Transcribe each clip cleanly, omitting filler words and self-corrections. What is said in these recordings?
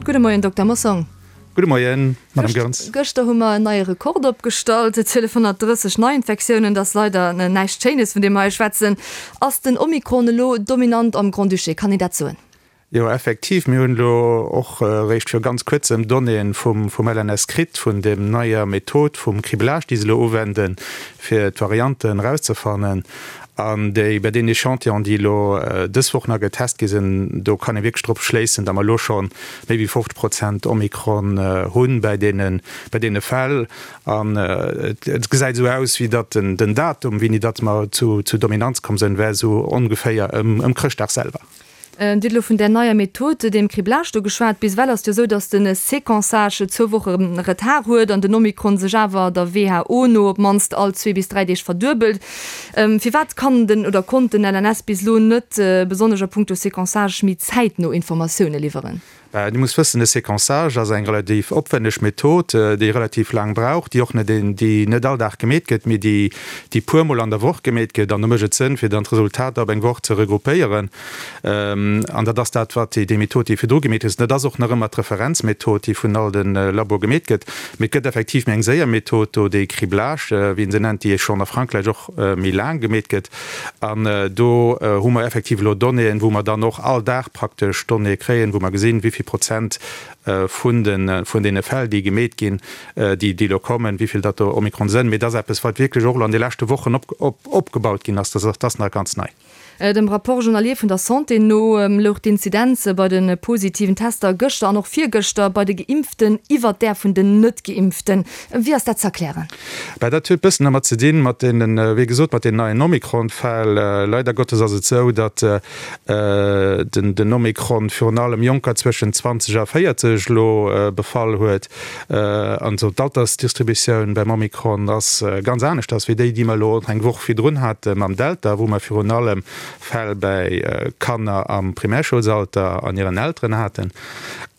Gudde Moien, Dokter Mossong. Gudde Moien, Madame Goerens. Gëschter hu mer en neie Rekord opgestallt, 1230 Neiinfektiounen. Dat ass leider näischt Schéines, vun deem mer hei schwätzen. Ass den Omikron elo dominant am Grand-Duché? Kann een dat soen? Jo, effektiv, mir hunn elo och eréischt viru ganz kuerzem Donnéeën vum LNS kritt, vun deem neier Method vum Criblage, déi se elo uwenden, fir d'Varianten erauszefannen. An déi, bei deenen Echantillonen, déi elo dës Woch nach getest gi sinn, do kann ee wierklech drop schléissen, datt mer elo scho méi wéi 50 Prozent Omikron hunn bei deene, bei deene Fäll. An et gesäit esou aus, wéi datt den Datum, wéini datt mer zu Dominanz komm sinn, wär esou ongeféier ëm Chrëschtdag selwer. Dir hutt elo vun där neier Method, deem Criblage do geschwat. Bis ewell ass et jo esou, datt de Séquençage zwou Woche Retard huet an den Omikron sech awer der WHO no op d'mannst all zwee bis dräi Deeg verduebelt. Firwat kann den oder konnt den LNS bis elo net, besonnesch a puncto Séquençage, méi zäitno Informatioune liwweren? Dir musst wëssen, de Séquençage ass eng relativ opwenneg Method, déi relativ laang brauch, déi och net, déi net all Dag gemeet gëtt, mee déi, déi puer Mol an der Woch gemeet gëtt. An do mécht et Sënn, fir dann d'Resultater op eng Woch ze regroupéieren. An dat ass dat, wat déi Method, déi virdru gemeet gëtt, dat ass och nach ëmmer d'Referenzmethod, déi vun all de Laboe gemeet gëtt. Mee et gëtt effektiv méi eng séier Method do, déi Criblage, wéi een se nennt, déi schonn a Frankräich och méi laang gemeet gëtt. An do hu mer effektiv elo Donnéeën, wou mer dann och all Dag praktesch Donnéeë kréien, wou mer gesinn, wéi vill Prozent vun de vun deene Fäll, déi gemeet ginn, déi déi elo kommen, wéi vill datt do Omikron sënn. Mee dat ass eppes, wat wierklech och elo an de leschte Wochen opgebaut ginn ass. Dat ass nach ganz nei. Dem Rapport journalier vun der Santé no louch d'Inzidenz bei de positiven Tester gëschter an och virgëschter bei de Geimpften iwwert där vun den Net-Geimpften. Wéi ass dat ze erklären? Bah, dat huet bëssen dermat ze dinn, mat deenen, wéi gesot, mat den neien Omikron-Fäll. Leider Gottes ass et esou, datt den Omikron virun allem Jonker zwëschen 20 a 40 elo befall huet. An esou d'Altersdistributioun beim Omikron ass ganz aneschters wéi déi, déi mer elo eng Woch virdrun hate mam Delta, wou mer virun allem Fäll bäi Kanner am Primärschoulsalter an hiren Elteren haten.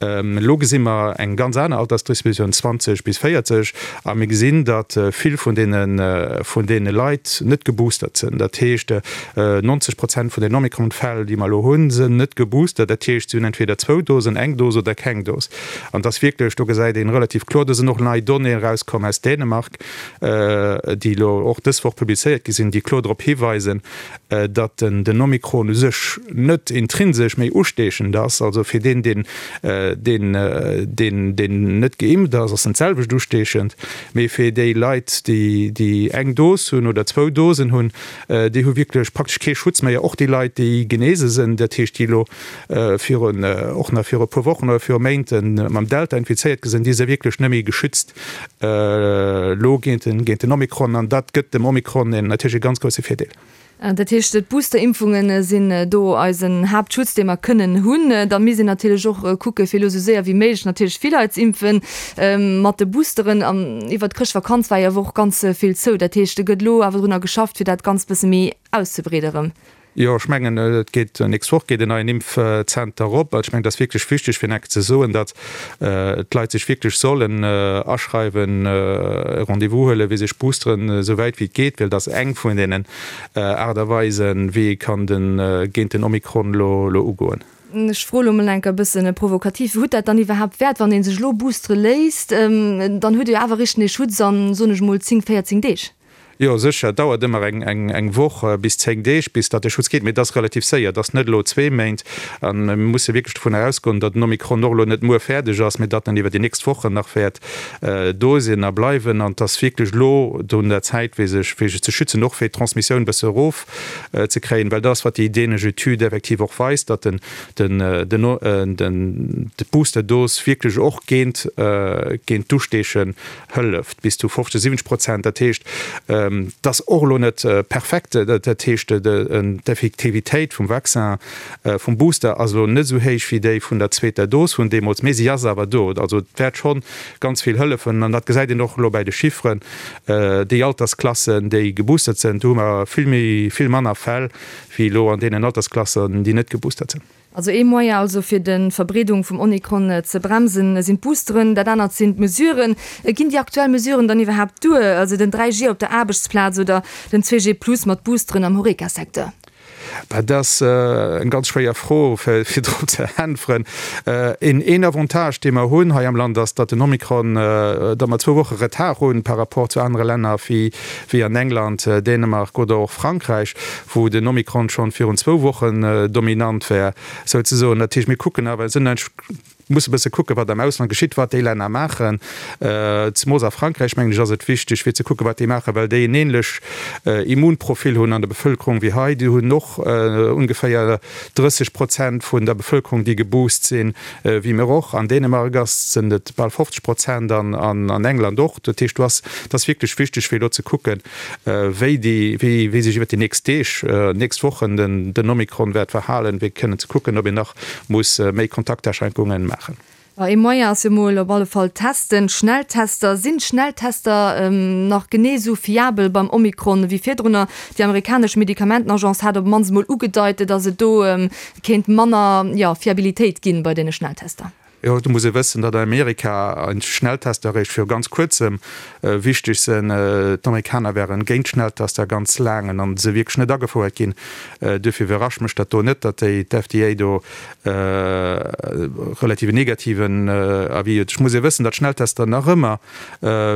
Elo gesi mer eng ganz aner Altersdistributioun, 20 bis 40, a mir gesinn, datt vill vun deene vun deene Leit net geboostert sinn. Dat heescht, 90 Prozent vun den Omikron-Fäll, déi mer elo hunn, sinn net geboostert. Dat heescht, si hunn entweder zwou Dosen, eng Dos oder keng Dos. An et ass wierklech, do gesäit een relativ kloer, do sinn och nei Donnéeën erauskomm aus Dänemark, déi elo och dës Woch publizéiert gi sinn, déi kloer drop hiweisen, datt den Omikron u sech net intrinsesch méi usteechend ass. Also fir deen, deen, deen, deen, deen net geimpft ass, ass en d'selwecht usteechend, mee fir déi Leit, déi, déi eng Dos hunn oder zwou Dosen hunn, déi hu wierklech praktesch kee Schutz méi. Och déi Leit, déi genese sinn, dat heescht, déi elo virun, och nach viru e puer Wochen oder viru Méint mam Delta infizéiert gi sinn, déi si wierklech net méi geschützt elo géint den, géint den Omikron. An dat gëtt dem Omikron een natierlech e ganz grousse Virdeel. Dat heescht, d'Boosterimpfunge sinn do eisen Haaptschutz, dee mer kënnen hunn. Da misst een natierlech och kucke fir elo esou séier wéi méiglech natierlech vill Leit z'impfen mat de Boosteren. An iwwert d'Chrëschtvakanz war jo awer och ganz vill zou. Dat heescht, et gëtt elo awer drunner geschafft, fir dat Ganzt bësse méi auszebreede erëm. Jo, ech mengen, et geet, nächst Woch geet en neien Impfzenter op. Ech mengen, et ass wierklech wichteg, fir nach ze soen, datt d'Leit sech wierklech sollen aschreiwen, e Rendez-vous huelen, fir sech boosteren, esou wäit wéi et geet, well et ass eng vun deenen Aart a Weisen, wéi ee kann de géint den Omikron elo ugoen. Ech froe lo mol enker e bësse provokativ, Hutt dat dann iwwerhaapt Wäert, wann ee sech elo boostere léisst? Dann huet ee jo awer eréischt ee Schutz an, soen ech mol, 10, 14 Deeg. Jo, sécher. Et dauert ëmmer eng Woch bis 10 Deeg, bis datt de Schutz geet. Mee et ass relativ séier. Et ass net elo zwee Méint. A mir musse wierklech dovunner ausgoen, datt den Omikron och elo net muer fäerdeg ass, mee datt en iwwer déi nächst Wochen nach wäert do sinn a bleiwen. An et ass wierklech elo un der Zäit, fir sech fir sech ze schützen, och fir d'Transmissioun e bësse erof ze kréien. Well dat ass, wat déi dänesch Etüd effektiv och weist, datt den den d'Boosterdos wierklech och géint géint d'Usteechen hëlleft, bis zu 50, 70 Prozent. Dat heescht, et ass och elo net perfekt. Dat heescht, d'Effektivitéit vum Vaccin, vum Booster ass elo net esou héich wéi déi vun der zweeter Dos vun deemools, mee si ass awer do. Also et wäert schonn ganz vill hëllefen an dat gesäit een och elo bäi de Chifferen. Déi Altersklassen, déi geboostert sinn, do hu mer vill méi, vill manner Fäll wéi elo an deenen Altersklassen, déi net geboostert sinn. Also ee Moyen also fir de Verbreedung vum Omikron ze bremsen sinn d'Boosteren, dat anert sinn d'Mesuren. Ginn déi aktuell Mesuren dann iwwerhaapt duer, also den 3G op der Aarbechtsplaz oder den 2G plus mat Boosteren am Horeca-Secteur? Dat ass eng ganz schwéier Fro, fir drop ze äntweren. Een Avantage, dee mer hunn hei am Land, ass, datt den Omikron, datt mer zwou Woche Retard hunn par rapport zu anere Länner wéi an England, Dänemark oder och Frankräich, wou den Omikron schonn virun zwou Wochen dominant war, souzesoen. Dat heescht, mir kucken awer, sinn eigentlech, musse e bësse kucken, wat am Ausland geschitt, wat déi Länner maachen. Zemools a Frankräich, mengen ech, ass et wichteg, fir ze kucken, wat déi maachen, well déi en änlech Immunprofil hunn an der Bevëlkerung wéi hei. Déi hunn och ongeféier 30 Prozent vun der Bevëlkerung, déi geboost sinn, wéi mir och. An Dänemark ass, sinn et bal 50 Prozent an an England och. Dat heescht, do ass, et ass wierklech wichteg, fir elo ze kucken, wéi déi, wéi, wéi sech iwwert déi nächst Deeg, nächst Wochen den, den Omikron wäert verhalen, fir kënnen ze kucken, ob een nach muss méi Kontaktaschränkungen maachen. Ma ee Moyen ass jo mol op alle Fall testen, Schnelltester. Sinn d'Schnelltester nach genee esou fiabel beim Omikron wéi virdrunner? Déi amerikanesch Medikamentenagence hat op d'mannst mol ugedeit, datt et do kéint manner, jo, Fiabilitéit ginn bei deene Schnelltester. Jo, do muss ee wëssen, datt an Amerika Schnelltester eréischt viru ganz kuerzem wichteg sinn. D'Amerikaner waren géint Schnelltester ganz laang an se wierklech net agefouert ginn. Duerfir iwwerrascht mech dat do net, datt déi d'FDA do relativ en negativen Avis huet. Ech muss ee wëssen, datt Schnelltester nach ëmmer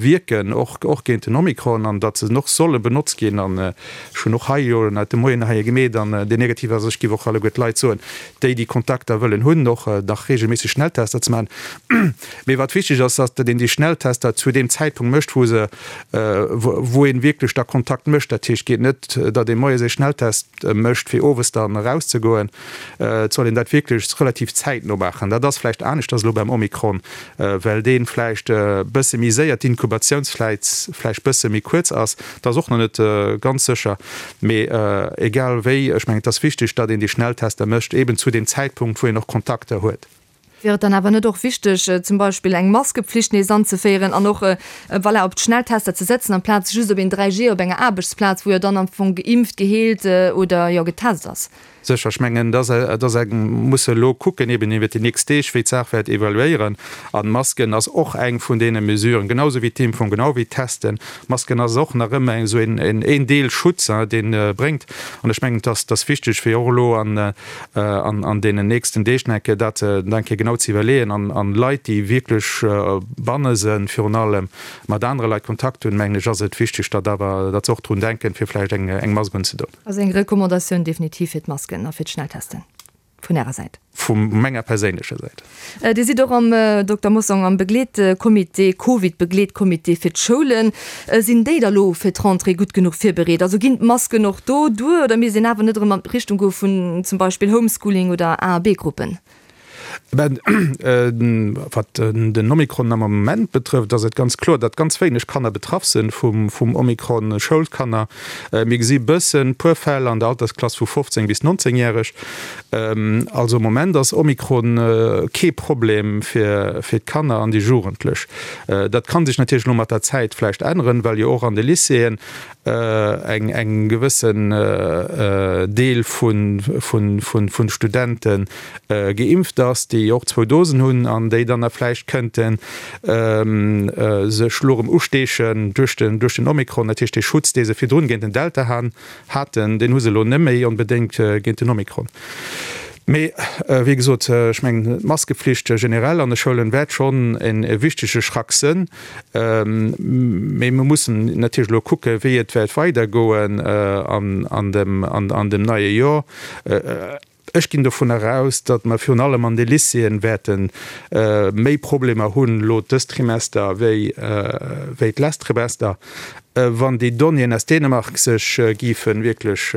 wierken, och och géint den Omikron, an datt se och solle benotzt ginn. An ech hunn och hei jo de Moien hei e gemeet an deen negativ ass. Ech géif och alleguer d'Leit soen, déi déi Kontakter wëllen hunn, och nach regelméisseg Schnelltester ze maachen. Mee wat wichteg ass, ass, datt een déi Schnelltester zu deem Zäitpunkt mécht, wou se, wou ee wierklech da Kontakt mécht. Dat heescht, et geet net, datt ee moies ee Schnelltest mécht, fir owes dann erauszegoen. Et soll een dat wierklech relativ zäitno maachen. Dat ass vläicht aneschters elo beim Omikron, well dee vläicht e bësse méi séier, d'Inkubatiounsfläit vläicht bësse méi kuerz ass. Dat ass och nach net ganz sécher. Mee egal wéi, ech mengen, et ass wichteg, datt een déi Schnelltester mécht, eeben zu deem Zäitpunkt, wou een och Kontakter huet. Wier et dann awer net och wichteg, zum Beispill eng Maskepflicht nees anzeféieren an och, voilà, op d'Schnelltester ze setzen, amplaz just op een 3G op enger Aarbechtsplaz, wou jo dann am Fong geimpft, geheelt oder, jo, getest ass? Sécher, ech mengen, et ass eng, musse elo kucken eben iwwert déi nächst Deeg, wéi d'Saach wäert evaluéieren. An d'Masken ass och eng vun deene Mesuren, genau esou wéi d'Impfung, genau wéi d'Testen. D'Masken ass och nach ëmmer esou een Deel Schutz, deen bréngt. An ech mengen, et ass wichteg, fir och elo an deenen nächsten Deeg nach eng Kéier dat nach eng Kéier genau ze iwwerleeën an Leit, déi wierklech banne sinn, virun allem mat anere Leit Kontakt hunn, mengen ech, ass et wichteg, datt awer, datt se och drun denken, fir vläicht eng Mask unzedoen. Also eng Recommandatioun definitiv fir d'Masken a fir d'Schnelltesten vun Ärer Säit? Vu menger perséinlecher Säit. Dir sidd och am, Dokter Mossong, am Begleetcomité, Covid-Begleetcomité fir d'Schoulen. Sinn déi da lo fir d'Rentrée gutt genuch virbereet? Also ginn d'Masken och do duer oder misst een awer net erëm an d'Richtung goe vun zum Beispill Homeschooling oder A a B-Gruppen? Wat den Omikron am Moment betrëfft, ass et ganz kloer, datt ganz wéineg Kanner betraff sinn vum Omikron, Schoulkanner. Mir gesi bëssen, puer Fäll an der Altersklass vu 15 bis 19 järeg. Also am Moment ass Omikron kee Problem fir d'Kanner an déi Jugendlech. Dat ka sech natierlech elo mat der Zäit vläicht änneren, well jo och an de Lycéeën eng gewëssen Deel vun Studente geimpft ass, déi och zwou Dosen hunn an déi dann da vläicht kënnte sech elo erëm usteechen duerch den Omikron. Dat heescht, dee Schutz, dee se virdrun géint den Delta haten, deen hu se elo net méi onbedéngt géint den Omikron. Mee wéi gesot, ech mengen, d'Maskepflicht generell an de Schoulen wäert schonn e wichtege Schrack sënn. Mee mir mussen natierlech elo kucken, wéi et wäert weidergoen an dem neie Joer. Ech ginn dovun eraus, datt mer virun allem an de Lycéeën wäerte méi Problemer hunn elo dëst Trimester wéi d'lescht Trimester. Wann déi Donnéeën aus Dänemark sech géife wierklech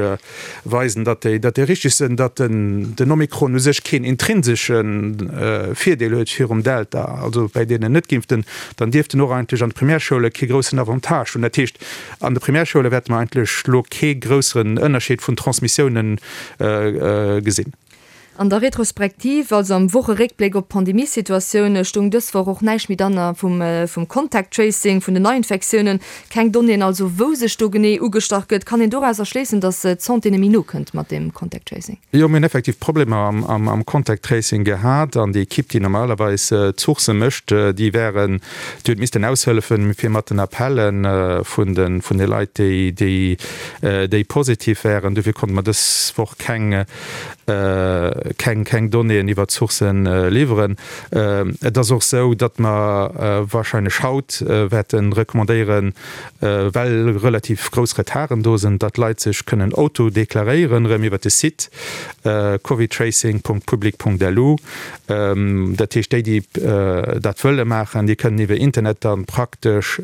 weisen, datt déi datt déi richteg sinn, datt den den Omikron u sech keen intrinsesche Virdeel huet virum Delta, also bäi deenen Net-Geimpften, dann dierft en och eigentlech an de Primärschoule kee groussen Avantage hunn. Dat heescht, an de Primärschoule wäerte mer eigentlech elo kee grousseren Ënnerscheed vun Transmissiounen gesinn. An der Retrospektiv, also am Wocheréckbléck op d'Pandemiesituatioun, stoung dës Woch och näischt méi dann vum vum Contact Tracing, vun den Neiinfektiounen. Keng Donnéeën also, wou sech do genee ugestach gëtt. Kann een dorauser schléissen, datt d'Santé net méi nokënnt mat deem Contact Tracing? Jo, mir hunn effektiv Problemer am Contact Tracing gehat an déi Ekipp, déi normalerweis d'Sourcë mécht, déi wären, déi huet missten aushëllefen, fir mat den Appelle vun de vun de Leit, déi déi déi positiv wären. Dofir konnte mer dës Woch keng keng keng Donnéeën iwwert d'Sourcen liwweren. Et ass och esou, datt mer wahrscheinlech haut wäerte recommandéieren, well relativ grouss Retarden do sinn, datt d'Leit sech kënnen auto-deklaréieren erëm iwwert de Site covidtracing.public.lu. Dat heescht, déi, déi dat wëlle maachen, déi kënnen iwwer Internet da praktesch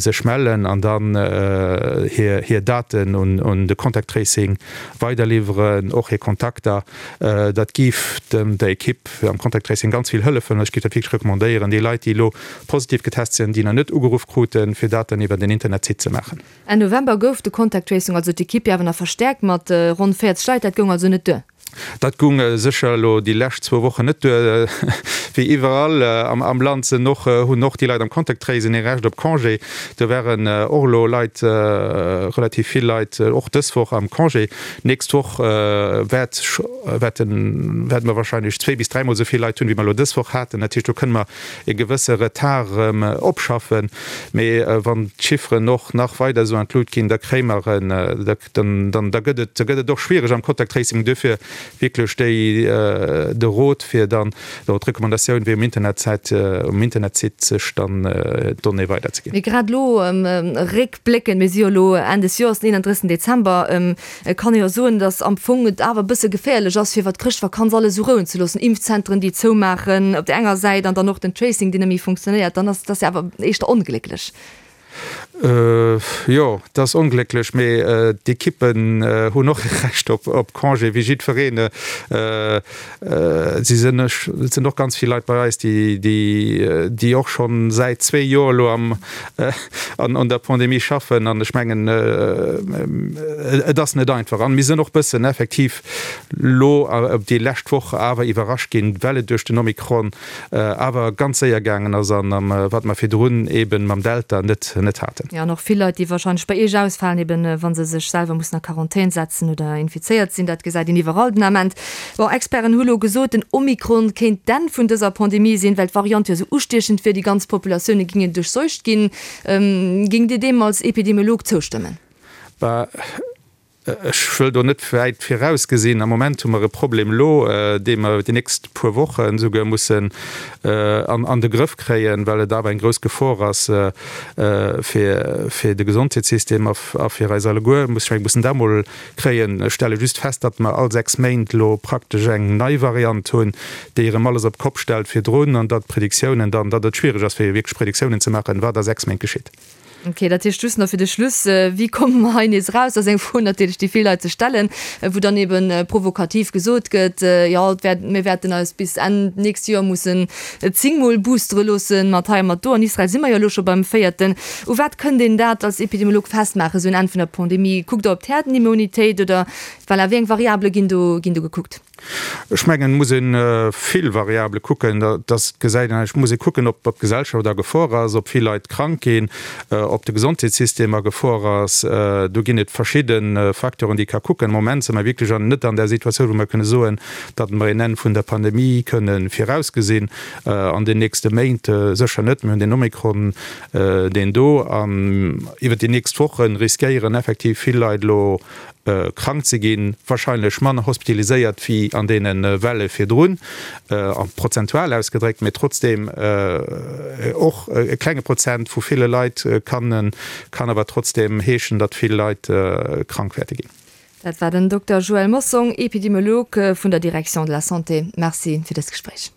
sech mellen an dann hir hir Daten un de Contact Tracing weiderliwweren, och hir Kontakter. Dat géif der Ekipp am Contact Tracing ganz vill hëllefen. Ech géif dat wierklech recommandéieren, déi Leit, déi elo positiv getest sinn, déi nach net ugeruff kruten, fir dat dann iwwer den Internetsite ze maachen. Enn November gouf de Contact Tracing, also d'Ekipp, jo awer nach verstäerkt mat ronn 40 Leit. Dat goung also net duer? Dat gung sécher elo déi lescht zwou Wochen net duer. Wéi iwwerall am Land sinn och, hunn och déi Leit am Contact Tracing ee Recht op Congé. Do waren och elo Leit, relativ vill Leit och dës Woch am Congé. D'nächst Woch wäert, wäerten, wäerte mer wahrscheinlech zwéi bis dräimol esou vill Leit hunn, wéi mer elo dës Woch haten. Dat heescht, do kënne mer e gewësse Retard erëm opschaffen. Mee wann d'Chifferen och nach weider esou an d'Lut ginn, da kréie mer en, Dann, dann, da gëtt et, da gëtt et och schwiereg am Contact Tracing. Duerfir wierklech déi, de Rot fir dann, oder d'Recommandatioun, wéi um Internetsäit, um Internetsite sech dann d'Donnée weiderzeginn. Mee grad elo réckbléckend, mir si jo elo Enn des Joers, den 31. Dezember, kann ee jo soen, datt am Fong et awer e bësse geféierlech ass, fir iwwer d'Chrëschtvakanz alles esou rouen ze loossen. Impfzentren, déi zoumaachen op där enger Säit an dann och den Tracing, deen net méi funktionéiert, dann ass, dat ass jo awer éischter onglécklech. Jo, et ass onglécklech, mee d'Ekippen hunn och e Recht op Congé, wéi jiddwereen. Si sinn, et sinn och ganz vill Leit bei eis, déi och schonn säit zwee Joer elo an der Pandemie schaffen. An ech mengen, et ass net einfach. An mir sinn och bëssen effektiv elo déi lescht Woch awer iwwerrascht ginn, well et duerch den Omikron awer ganz séier gaangen ass an wat mer virdrun eben mam Delta net net haten. Jo, an och vill Leit, déi wahrscheinlech bei Iech ausfalen, eben wa se sech selwer mussen a Quarantän setzen oder infizéiert sinn. Dat gesäit een iwwerall den Ament. Bon, Experten hu lo gesot, den Omikron kéint d'Enn vun dëser Pandemie sinn, well d'Variant jo esou ustiechend wier, déi ganz Populatioune gingen duerchseucht ginn. Géingt Dir deem als Epidemiolog zoustëmmen? Bah, Ech wëll do net wäit virausgesinn. Am Moment hu mer e Problem elo, dee mer déi nächst puer Wochen esouguer mussen an de Grëff kréien, well et awer eng grouss Gefor ass fir de Gesondheetssystem a fir eis alleguer. Ech menge mussen dat emol kréien. Ech stelle just fest, datt mer all 6 Méint elo praktesch eng nei Variant hunn, déi erëm alles op d'Kopp stellt virdrun an datt d'Prediktiounen dann, datt et schwiereg ass fir wierklech Prediktiounen ze maachen, wat a 6 Méint geschitt. Ok, dat heescht just nach fir de Schluss, Wéi komme mer hei nees eraus? Dat ass eng Fro natierlech, déi vill Leit sech stellen, wou dann ebe provokativ gesot gëtt, jo, et wäert, mir wäerten eis bis Enn d'nächst Joer mussen zéngmol boostere loossen, mat hei a mat do. An Israel si mer jo elo scho beim véierten. U wat kënnt een dat als Epidemiolog festmaachen, esou en Enn vun der Pandemie? Kuckt Der op d'Herdenimmunitéit oder, voilà, wéi eng Variabele ginn do, ginn do gekuckt? Ech mengen, et muss ee vill Variabele kucken. Dat gesäit een, et muss ee kucken, ob d'Gesellschaft a Gefor ass, ob vill Leit krank ginn, ob de Gesondheetssystem a Gefor ass. Do ginn et verschidde Facteuren, déi ee ka kucken. Am Moment si mer wierklech net an där Situatioun, wou mer kënne soen, datt mer een Enn vun der Pandemie kënne virausgesinn an den nächste Méint. Sécher net. Mir hunn den Omikron, deen do an iwwert déi nächst Woche riskéieren effektiv vill Leit elo krank ze ginn, wahrscheinlech manner hospitaliséiert wéi an deene Welle virdrun, prozentual ausgedréckt, mee trotzdeem och e klenge Prozent vu ville Leit kann kann awer trotzdeem heeschen, datt vill Leit krank wäerte ginn. Dat war den Dokter Joël Mossong, Epidemiolog vun der Direction de la Santé. Merci fir dëst Gespréich.